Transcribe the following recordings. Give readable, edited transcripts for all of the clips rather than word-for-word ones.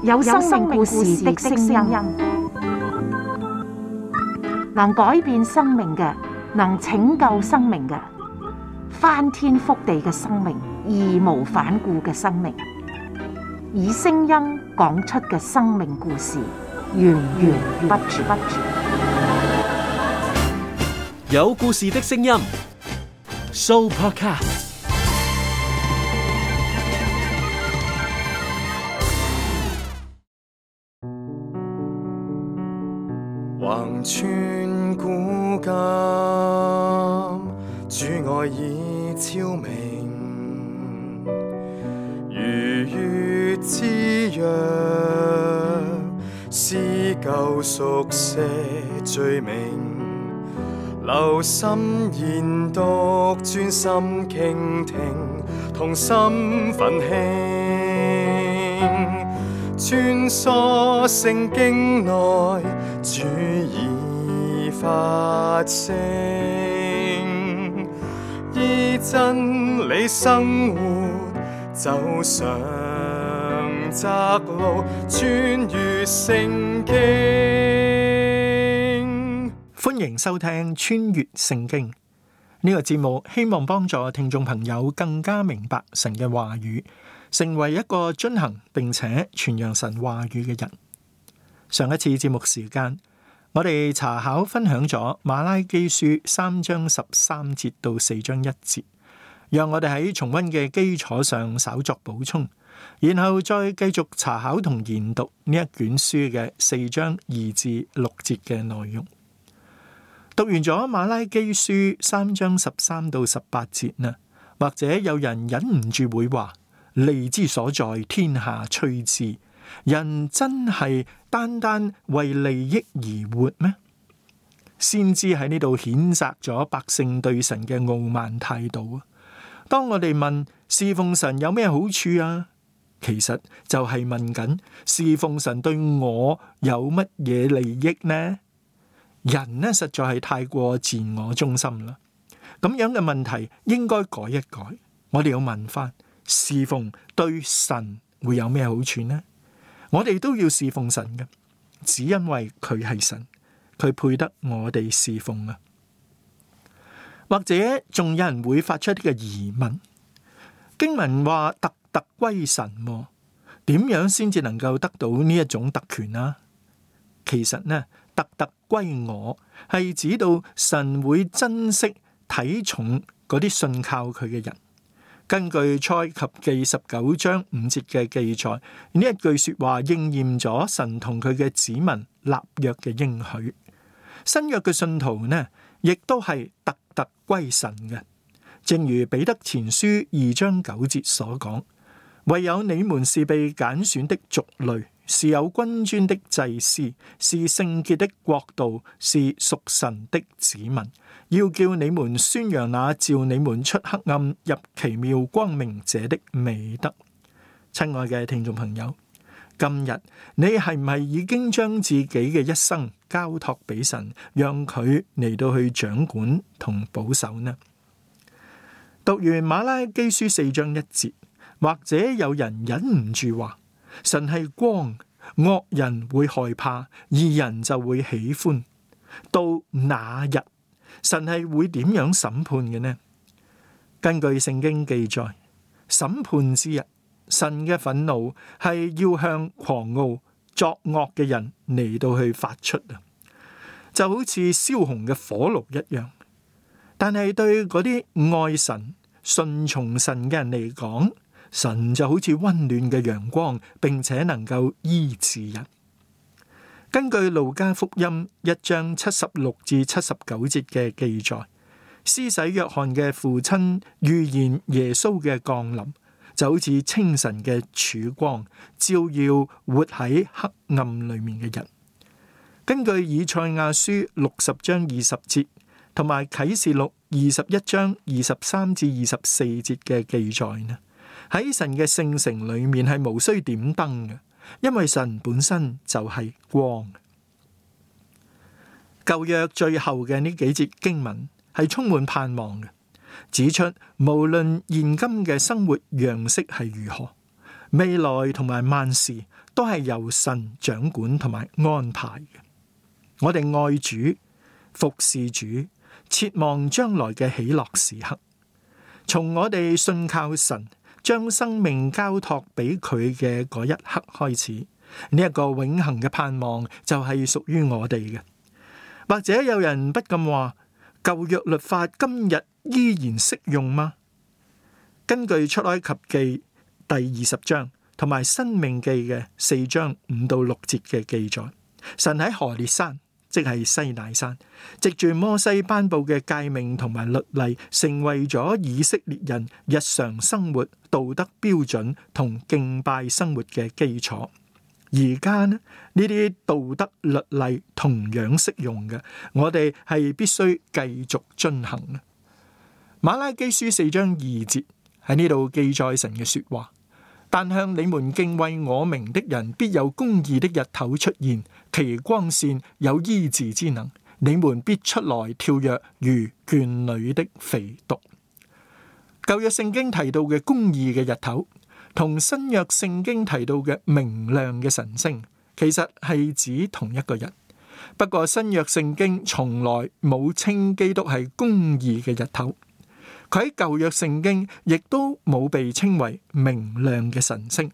有生命故事的聲音，能改變生命嘅，能拯救生命嘅，翻天覆地嘅生命，義無反顧嘅生命，以聲音講出嘅生命故事，源源不絕。有故事的聲音 ，Sooopodcast。橫穿古今，主愛已超明，如月之約，撕舊熟寫罪名，留心研讀，專心傾聽，同心奮興，穿梭聖經內，主已發聲，依真理生活，走上窄路，穿越聖經。歡迎收聽穿越聖經呢個節目，希望幫助聽眾朋友更加明白神嘅話語，成為一個遵行並且傳揚神話語嘅人。上一次節目時間，我哋查考分享咗馬拉基書3章13節到4章1節，讓我哋喺重溫嘅基礎上稍作補充，然後再繼續查考同研讀呢一卷書嘅4章2至6節嘅內容。讀完咗馬拉基書3章13到18節呢，或者有人忍唔住會話：利之所在，天下趨之。人真係單單為利益而活咩？先知喺呢度譴責咗百姓對神嘅傲慢態度啊！當我哋問侍奉神有咩好處啊，其實就係問緊侍奉神對我有乜嘢利益呢？人呢，實在係太過自我中心啦。咁樣嘅問題應該改一改，我哋要問翻侍奉對神會有咩好處呢？我哋都要侍奉神嘅，只因為佢係神，佢配得我哋侍奉啊。或者仲有人會發出一個疑問：經文話特特歸神，點樣先至能夠得到呢一種特權啊？其實呢，特特歸我係指到神會珍惜睇重嗰啲信靠佢嘅人。根據賽及記19章5節嘅記載，呢一句說話應驗咗神同佢嘅子民立約嘅應許。新約嘅信徒呢，亦都係特特歸神嘅。正如彼得前書2章9節所講：唯有你們是被揀選的族類，是有君尊的祭司，是聖潔的國度，是屬神的子民，要叫你們宣揚那召你們出黑暗入奇妙光明者的美德。親愛嘅聽眾朋友，今日你係唔係已經將自己嘅一生交託俾神，讓佢嚟到去掌管同保守呢？讀完馬拉基書4章1節，或者有人忍唔住話：神係光，惡人會害怕，義人就會喜歡。到那日，神係會點樣審判嘅呢？根據聖經記載，審判之日，神嘅憤怒係要向狂傲作惡嘅人嚟到去發出啊，就好似燒紅嘅火爐一樣。但係對嗰啲愛神、順從神嘅人嚟講，神就好似溫暖嘅陽光，並且能夠醫治人。根據路加福音1章76至79節嘅記載，施洗約翰嘅父親預言耶穌嘅降臨，就好似清晨嘅曙光，照耀活喺黑暗裏面嘅人。根據以賽亞書60章20節同埋啟示錄21章23至24節嘅記載呢，喺神嘅聖城裏面係無需點燈嘅，因為神本身就係光。舊約最後嘅呢幾節經文係充滿盼望嘅，指出無論現今嘅生活樣式係如何，未來同埋萬事都係由神掌管同埋安排嘅。我哋愛主、服侍主，切望將來嘅喜樂時刻。從我哋信靠神，將生命交託俾佢嘅嗰一刻開始，呢一個永恆嘅盼望就係屬於我哋嘅。或者有人不禁話，舊約律法今日依然適用嗎？根據出埃及記第20章同埋申命記嘅4章5到6節嘅記載，神喺何烈山，即係西乃山，藉住摩西頒布嘅誡命同埋律例，成為咗以色列人日常生活道德標準同敬拜生活嘅基礎。而家呢啲道德律例同樣適用嘅，我哋係必須繼續遵行嘅。馬拉基書4章2節喺呢度記載神嘅說話，但向你們敬畏我名的人，必有公義的日頭出現，其光線有醫治之能，你們必出來跳躍，如圈裏的肥犢。舊約聖經提到嘅公義嘅日頭，同新約聖經提到嘅明亮嘅晨星，其實係指同一個人。不過新約聖經從來冇稱基督係公義嘅日頭，佢喺舊約聖經亦都冇被稱為明亮嘅晨星。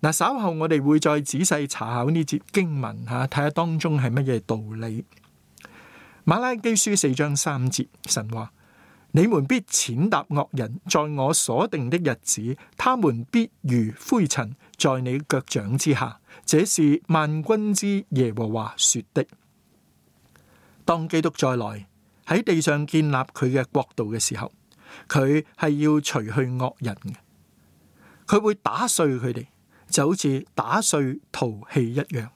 嗱，稍後我哋會再仔細查考呢節經文吓，睇下當中係乜嘢道理。馬拉基書4章3節，神話：你們必踐踏惡人，在我所定的日子，他們必如灰塵在你腳掌之下。這是萬軍之耶和華說的。當基督再來喺地上建立佢嘅國度嘅時候，佢係要除去惡人嘅，佢會打碎佢哋，就好似打碎陶器一樣。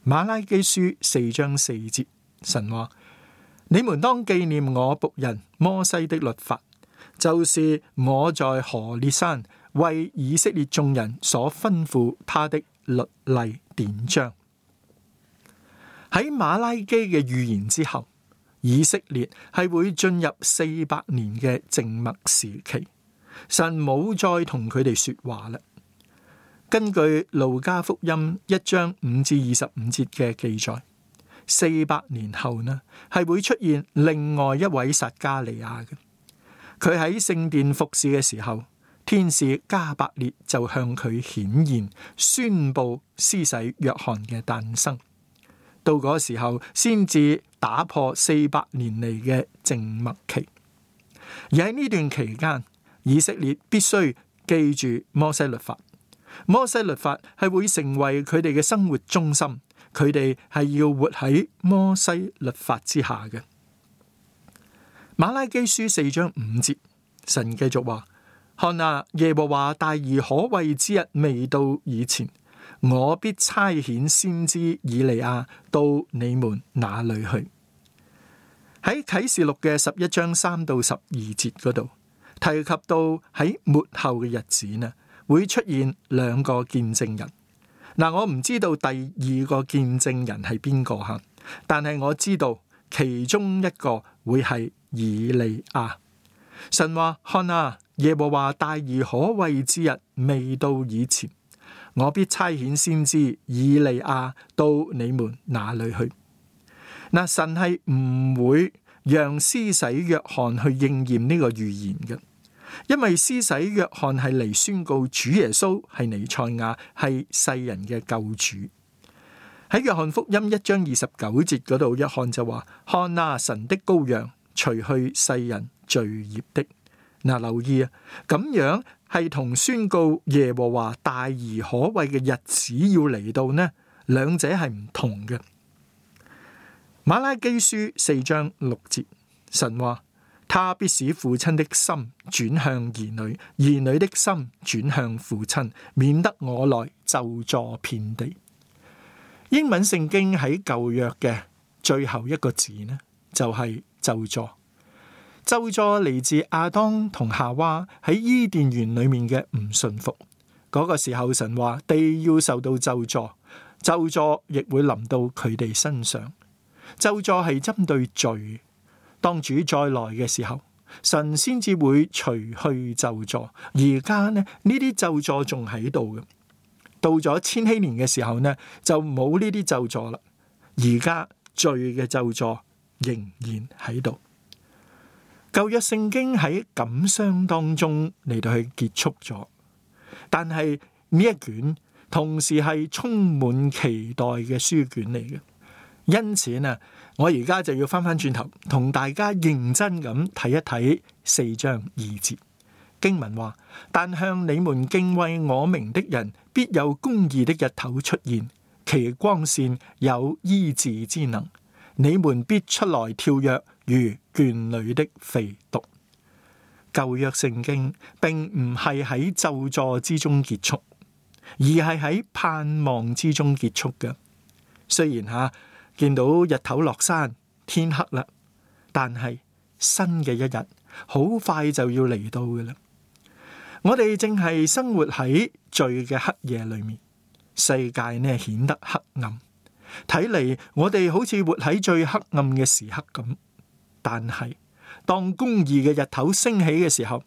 馬拉基書4章4節，神話：你們當紀念我僕人摩西的律法，就是我在何烈山為以色列眾人所吩咐他的律例典章。喺馬拉基嘅預言之後，以色列係會進入400年嘅靜默時期，神冇再同佢哋說話啦。根據路加福音1章5至25節嘅記載，400年後呢，係會出現另外一位撒加利亞嘅。佢喺聖殿服侍嘅時候，天使加百列就向佢顯現，宣布施洗約翰嘅誕生。到嗰時候，先至打破400年嚟嘅靜默期。而喺呢段期間，以色列必須記住摩西律法。摩西律法係會成為佢哋嘅生活中心，佢哋係要活喺摩西律法之下嘅。馬拉基書4章5節，神繼續話：看啊，耶和華大而可畏之日未到以前，我必差遣先知以利亞到你們那裏去。喺啟示錄嘅11章3到12節嗰度提及到喺末後嘅日子呢，會出現2個見證人。嗱，我唔知道第2個見證人係邊個吓，但係我知道其中一個會係以利亞。神話：看啊，耶和華大而可畏之日未到以前，我必差遣先知以利亞到你們那裏去。嗱，神係唔會讓施洗約翰去應驗呢個預言嘅，因為施洗約翰係嚟宣告主耶穌係彌賽亞，係世人嘅救主。喺約翰福音1章29節嗰度，約翰就話：看啊，神的羔羊，除去世人罪孽的。嗱，留意啊，咁樣係同宣告耶和華大而可畏嘅日子要嚟到呢，兩者係唔同嘅。馬拉基書4章6節，神話：他必使父親的心轉向兒女，兒女的心轉向父親，免得我來咒詛遍地。英文聖經喺舊約嘅最後一個字呢，就係咒詛。咒詛嚟自亞當同夏娃喺伊甸園裏面嘅唔順服。嗰個時候，神話地要受到咒詛，咒詛亦會臨到佢哋身上。咒詛係針對罪。當主再來嘅時候，神先至會除去咒詛。而家呢啲咒詛仲喺度嘅，到咗千禧年嘅時候呢，就冇呢啲咒詛啦。而家罪嘅咒詛仍然喺度。舊約聖經喺感傷當中嚟到去結束咗，但係呢一卷同時係充滿期待嘅書卷嚟嘅。因此呢，我而家就要翻轉頭同大家認真咁睇一睇4章2節經文話：但向你們敬畏我名的人，必有公義的日頭出現，其光線有醫治之能，你們必出來跳躍，如圈裏的肥犢。舊約聖經並唔係喺咒詛之中結束，而係喺盼望之中結束嘅。雖然見到日頭落山，天黑啦，但係新嘅一日好快就要嚟到嘅啦。我哋正係生活喺罪嘅黑夜裏面，世界呢顯得黑暗，睇嚟我哋好似活喺最黑暗嘅時刻咁。但係當公義嘅日頭升起嘅時候，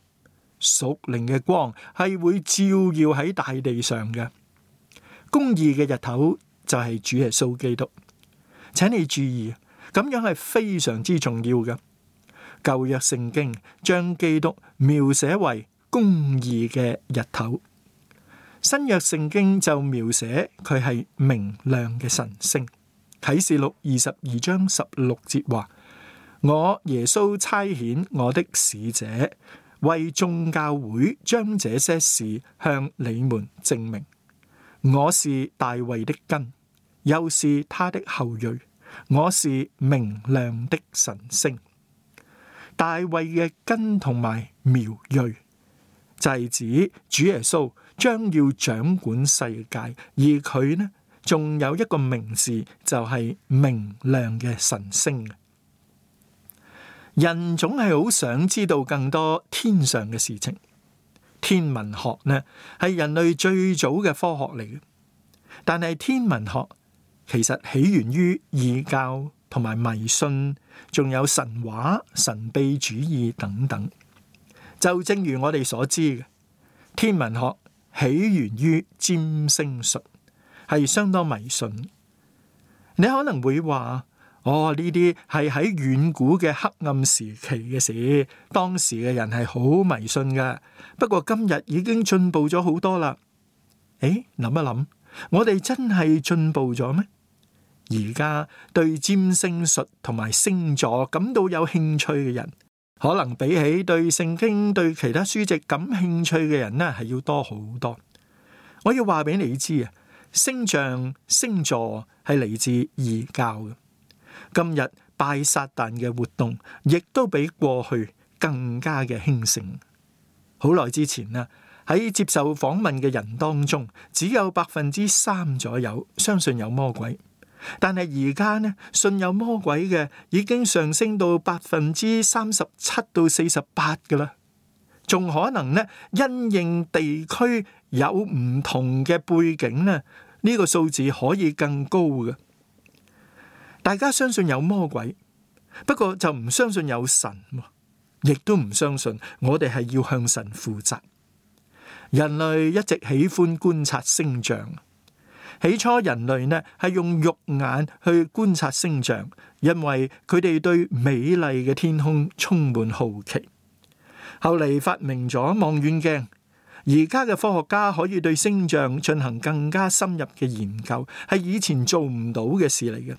屬靈嘅光係會照耀喺大地上嘅。公義嘅日頭就係主耶穌基督。請你注意，咁樣係非常之重要嘅。舊約聖經將基督描寫為公義嘅日頭，新約聖經就描寫佢係明亮嘅晨星。啟示錄22章16節話：我耶穌差遣我的使者，為眾教會將這些事向你們證明。我是大衛的根，又是他的後裔，我是明亮的晨星。大衛嘅根同埋苗裔，就係指主耶穌將要掌管世界，而佢呢，仲有一個名字，就係明亮嘅晨星。人總係好想知道更多天上嘅事情。天文學呢，係人類最早嘅科學嚟嘅，但係天文學其實起源於異教同埋迷信，仲有神話、神秘主義等等。就正如我哋所知嘅，天文學起源於占星術，係相當迷信。你可能會話：呢啲係喺遠古嘅黑暗時期嘅事，當時嘅人係好迷信嘅。不過今日已經進步咗好多啦。諗一諗，我哋真係進步咗咩？而家對占星術同埋星座感到有興趣嘅人，可能比起對聖經、對其他書籍感興趣嘅人呢，係要多好多。我要話俾你知啊，星象、星座係嚟自異教嘅。今日拜撒旦嘅活動，亦都比過去更加嘅興盛。好耐之前啊，喺接受訪問嘅人當中，只有3%左右相信有魔鬼。但係而家呢，信有魔鬼嘅已經上升到37%到48%噶啦，仲可能呢，因應地區有唔同嘅背景呢，呢個數字可以更高嘅。大家相信有魔鬼，不過就唔相信有神，亦都唔相信我哋係要向神負責。人類一直喜歡觀察星象。起初人類呢係用肉眼去觀察星象，因為佢哋對美麗嘅天空充滿好奇。後嚟發明咗望遠鏡，而家嘅科學家可以對星象進行更加深入嘅研究，係以前做唔到嘅事嚟嘅。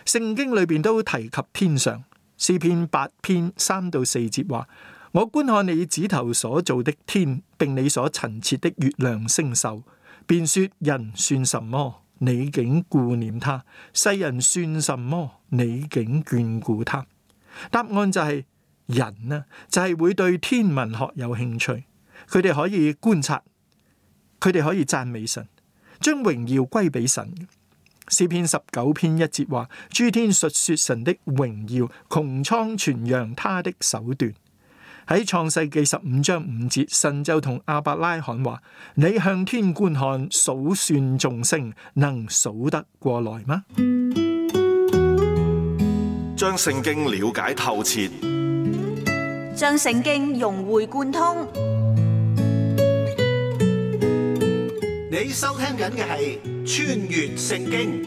聖經裏邊都提及天上，詩篇8篇3到4節話：我觀看你指頭所造的天，並你所陳設的月亮星宿，便說人算什麼，你竟顧念他；世人算什麼，你竟眷顧他。答案就係人呢，就係會對天文學有興趣，佢哋可以觀察，佢哋可以讚美神，將榮耀歸俾神。詩篇19篇1節話：諸天述說神的榮耀，穹蒼傳揚他的手段。喺創世記15章5節，神就同亞伯拉罕話：你向天觀看，數算眾星，能數得過來嗎？將聖經了解透徹，將聖經融會貫通。你收聽緊嘅係《穿越聖經》。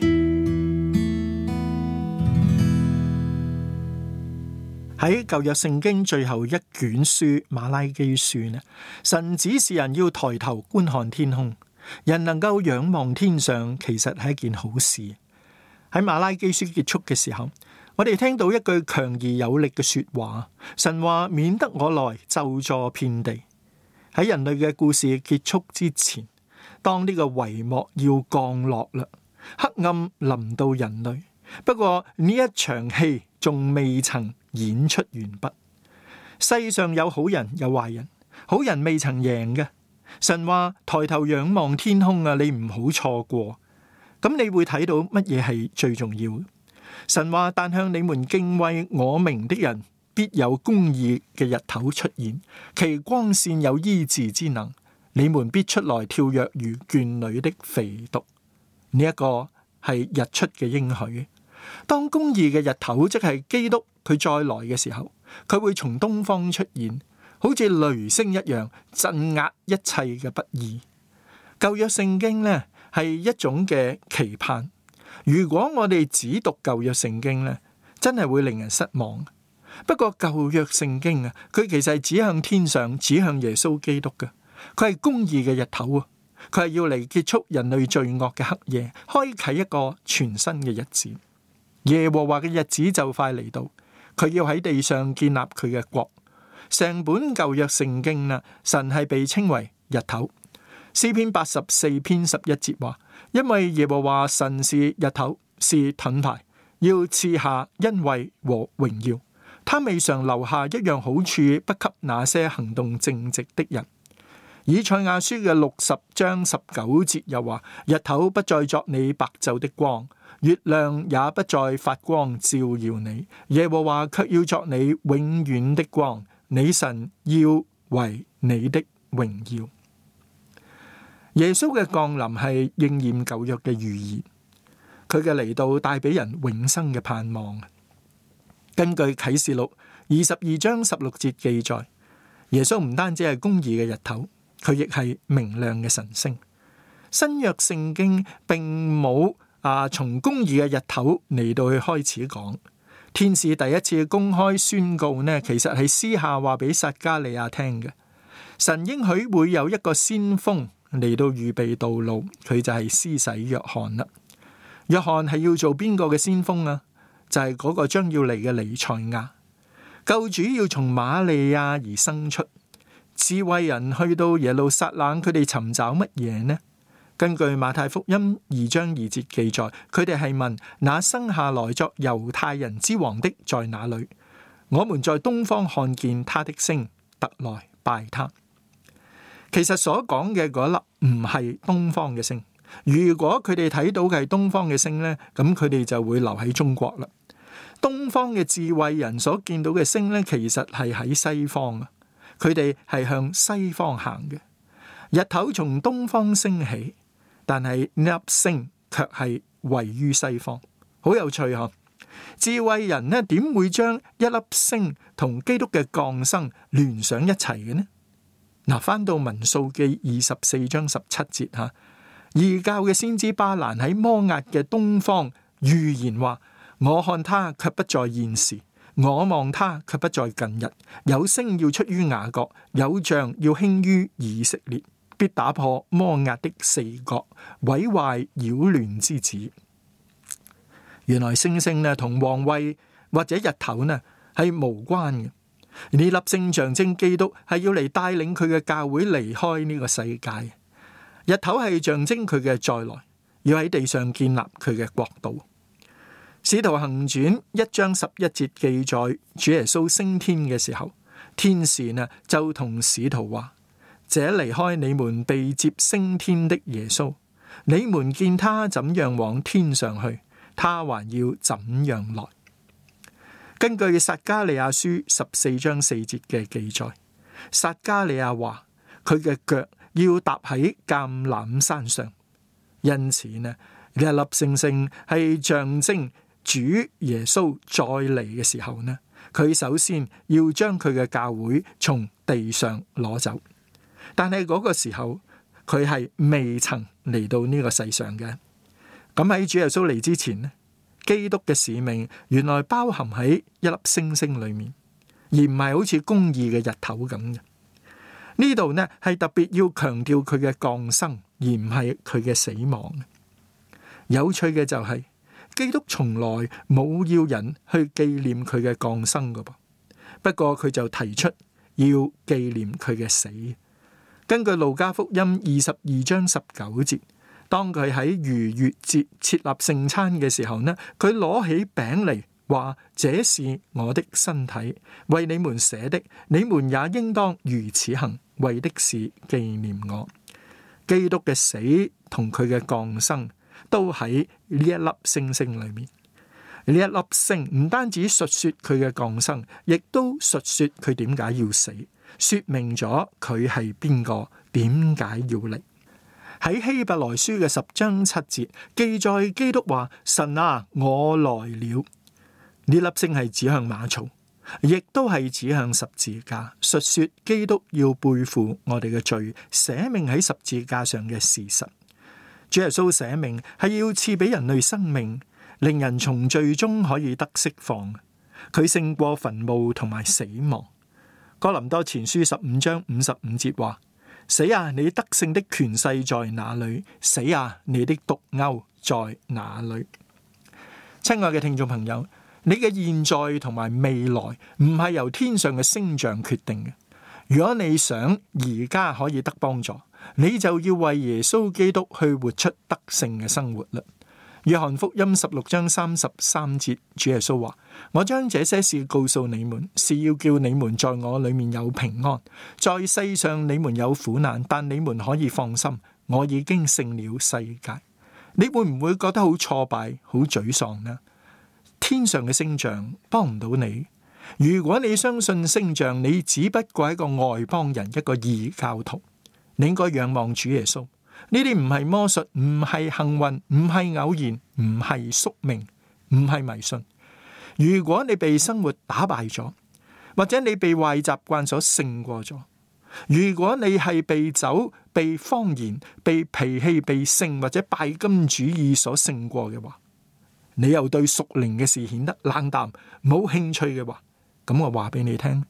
喺舊約聖經最後一卷書馬拉基書呢，神指示人要抬頭觀看天空，人能夠仰望天上，其實係一件好事。喺馬拉基書結束嘅時候，我哋聽到一句強而有力嘅說話，神話免得我來咒詛遍地。喺人類嘅故事結束之前，當呢個帷幕要降落啦，黑暗臨到人類。不過呢一場戲仲未曾演出完畢。世上有好人有壞人，好人未曾贏嘅。神話抬頭仰望天空啊，你唔好錯過。咁你會睇到乜嘢係最重要？神話但向你們敬畏我名的人，必有公義嘅日頭出現，其光線有醫治之能。你們必出來跳躍如圈裏的肥犢。呢一個係日出嘅應許。當公義嘅日頭，即係基督佢再來嘅時候，佢會從東方出現，好似雷聲一樣，鎮壓一切嘅不義。舊約聖經呢係一種嘅期盼。如果我哋只讀舊約聖經呢，真係會令人失望。不過舊約聖經啊，佢其實係指向天上，指向耶穌基督嘅。佢係公義嘅日頭啊！佢係要嚟結束人類罪惡嘅黑夜，開啟一個全新嘅日子。耶和華嘅日子就快嚟到，佢要喺地上建立佢嘅國。成本舊約聖經啦，神係被稱為日頭。詩篇84篇11節話：因為耶和華神是日頭，是盾牌，要賜下恩惠和榮耀。他未嘗留下一樣好處，不給那些行動正直的人。以賽亞書嘅60章19節又話：日頭不再作你白晝的光，月亮也不再發光照耀你，耶和華卻要作你永遠的光，你神要為你的榮耀。耶穌嘅降臨係應驗舊約嘅預言，佢嘅嚟到帶俾人永生嘅盼望。根據啟示錄22章16節記載，耶穌唔單止係公義嘅日頭，佢亦係明亮嘅晨星。新約聖經並冇從公義嘅日頭嚟到去開始講。天使第一次公開宣告呢，其實係私下話俾撒迦利亞聽嘅。神應許會有一個先鋒嚟到預備道路，佢就係施洗約翰啦。約翰係要做邊個嘅先鋒啊？就係嗰個將要嚟嘅彌賽亞。救主要從瑪利亞而生出。智慧人去到耶路撒冷，佢哋尋找乜嘢呢？根據馬太福音2章2節記載，佢哋係問：那生下來作猶太人之王的在哪裏？我們在東方看見他的星，特來拜他。其實所講嘅嗰粒唔係東方嘅星。如果佢哋睇到嘅係東方嘅星呢，咁佢哋就會留喺中國啦。東方嘅智慧人所見到嘅星呢，其實係喺西方啊。佢哋係向西方行嘅。日頭從東方升起，但係呢粒星卻係位於西方。好有趣嗬！智慧人呢，點會將一粒星同基督嘅降生聯上一齊嘅呢？嗱，翻到民數記24章17節吓，異教嘅先知巴蘭喺摩押嘅東方預言話：我看他卻不在現時，我望他卻不在近日。有星要出於雅各，有杖要興於以色列，必打破摩押的四角，毀壞擾亂之子。原來星星呢同皇位或者日頭呢係無關嘅。呢粒星象徵基督係要嚟帶領佢嘅教會離開呢個世界。日頭係象徵佢嘅再來，要喺地上建立佢嘅國度。使徒行傳1章11節記載，主耶穌升天嘅時候，天使呢就同使徒話：這離開你們被接升天的耶穌，你們見他怎樣往天上去，他還要怎樣來。根據撒迦利亞書14章4節嘅記載，撒迦利亞話佢嘅腳要踏喺橄欖山上，因此呢一粒星星係象徵主耶穌再嚟嘅時候呢，佢首先要將佢嘅教會從地上攞走，但係嗰個時候佢係未曾嚟到呢個世上嘅。咁喺主耶穌嚟之前呢，基督嘅使命原來包含喺一粒星星裏面，而唔係好似公義嘅日頭咁嘅。呢度呢係特別要強調佢嘅降生，而唔係佢嘅死亡。有趣嘅就係，基督從來冇要人去紀念佢嘅降生㗎噃，不過佢就提出要紀念佢嘅死。根據路加福音22章19節，當佢喺逾越節設立聖餐嘅時候呢，佢攞起餅嚟話：這是我的身體，為你們捨的，你們也應當如此行，為的是紀念我。基督嘅死同佢嘅降生都喺呢一粒星星裏面。呢一粒星唔單止述說佢嘅降生，亦都述說佢點解要死，說明咗佢係邊個，點解要嚟。喺希伯來書嘅10章7節記載，基督話：神啊，我來了。呢粒星係指向馬槽，亦都係指向十字架，述說基督要背負我哋嘅罪，捨命喺十字架上嘅事實。主耶穌捨命係要賜俾人類生命，令人從罪中可以得釋放。佢勝過墳墓同埋死亡。哥林多前書15章55節話：死啊，你得勝的權勢在哪裏？死啊，你的毒鈎在哪裏？親愛嘅聽眾朋友，你嘅現在同埋未來唔係由天上嘅星象決定嘅。如果你想而家可以得幫助，你就要為耶穌基督去活出得勝嘅生活啦。約翰福音16章33節，主耶穌話：我將這些事告訴你們，是要叫你們在我裏面有平安。在世上你們有苦難，但你們可以放心，我已經勝了世界。你會唔會覺得好挫敗、好沮喪呢？天上嘅星象幫唔到你。如果你相信星象，你只不過係一個外邦人，一個異教徒。你應該仰望主耶穌。呢啲唔係魔術，唔係幸運，唔係偶然，唔係宿命，唔係迷信。如果你被生活打敗咗，或者你被壞習慣所勝過咗，如果你係被酒、被謊言、被脾氣、被性或者拜金主義所勝過嘅話，你又對屬靈嘅事顯得冷淡、冇興趣嘅話，咁我話俾你聽，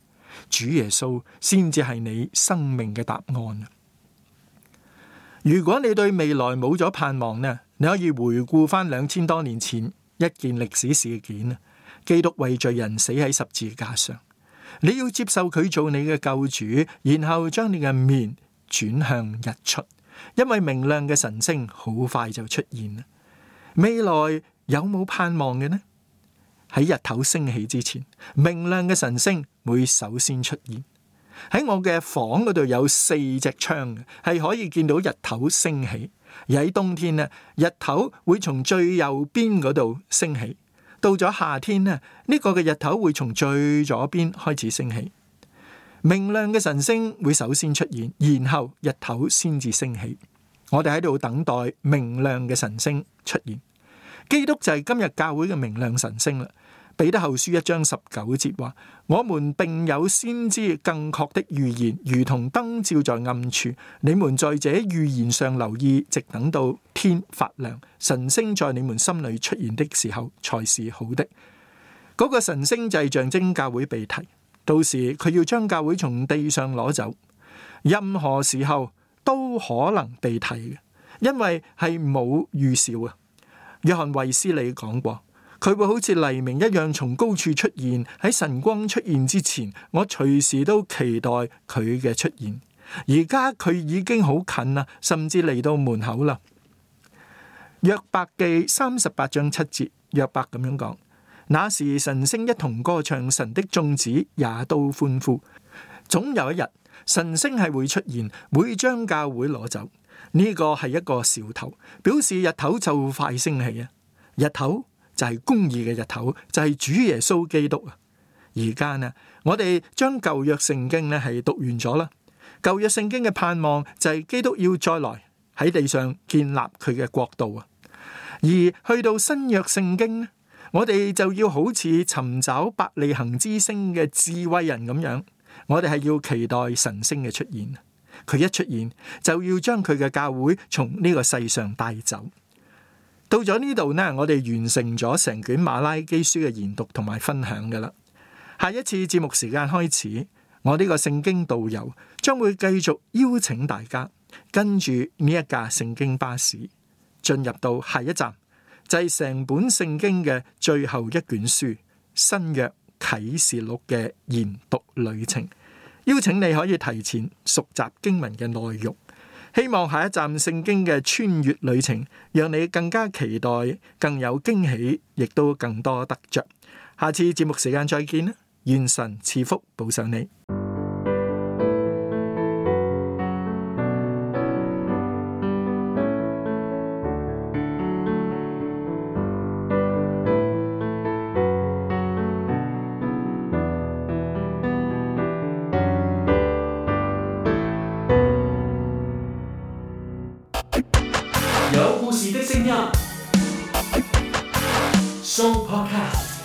主耶穌先至係你生命嘅答案。如果你對未來冇咗盼望呢，你可以回顧翻2000多年前一件歷史事件，基督為罪人死喺十字架上，你要接受佢做你嘅救主，然後將你嘅面轉向日出，因為明亮嘅晨星好快就出現啦。未來有冇盼望嘅呢？喺日頭升起之前，明亮嘅晨星會首先出現。喺我嘅房嗰度有4隻窗，係可以見到日頭升起。而喺冬天呢，日頭會從最右邊嗰度升起。到咗夏天呢，呢個嘅日頭會從最左邊開始升起。明亮嘅晨星會首先出現，然後日頭先至升起。我哋喺度等待明亮嘅晨星出現。基督就係今日教會嘅明亮晨星啦。彼得後書1章19節話：我們並有先知更確的預言，如同燈照在暗處。你們在這預言上留意，直等到天發亮，晨星在你們心裏出現的時候，才是好的。嗰個晨星就係象徵教會被提，到時佢要將教會從地上攞走。任何時候都可能被提嘅，因為係冇預兆啊。約翰衛斯理講過，佢會好似黎明一樣從高處出現，喺晨光出現之前，我隨時都期待佢嘅出現。而家佢已經好近啦，甚至嚟到門口啦。約伯記38章7節，約伯咁樣講：那時晨星一同歌唱，神的眾子也都歡呼。總有一日，晨星係會出現，會將教會攞走。呢個係一個兆頭，表示日頭就快升起啊！日頭就係公義嘅日頭，就係主耶穌基督啊！而家呢，我哋將舊約聖經呢係讀完咗啦。舊約聖經嘅盼望就係基督要再來喺地上建立佢嘅國度啊！而去到新約聖經呢，我哋就要好似尋找伯利恆之星嘅智慧人咁樣，我哋係要期待神星嘅出現。佢一出現，就要將佢嘅教會從呢個世上帶走。到咗呢度呢，我哋完成咗成卷馬拉基書嘅研讀同埋分享㗎喇。下一次節目時間開始，我呢個聖經導遊將會繼續邀請大家跟住呢一架聖經巴士進入到下一站，就係成本聖經嘅最後一卷書新約啟示錄嘅研讀旅程。邀請你可以提前熟習經文嘅內容，希望下一站聖經嘅穿越旅程讓你更加期待，更有驚喜，亦都更多得着。下次節目時間再見啦，願神賜福保守你。有故事的聲音 Show Podcast。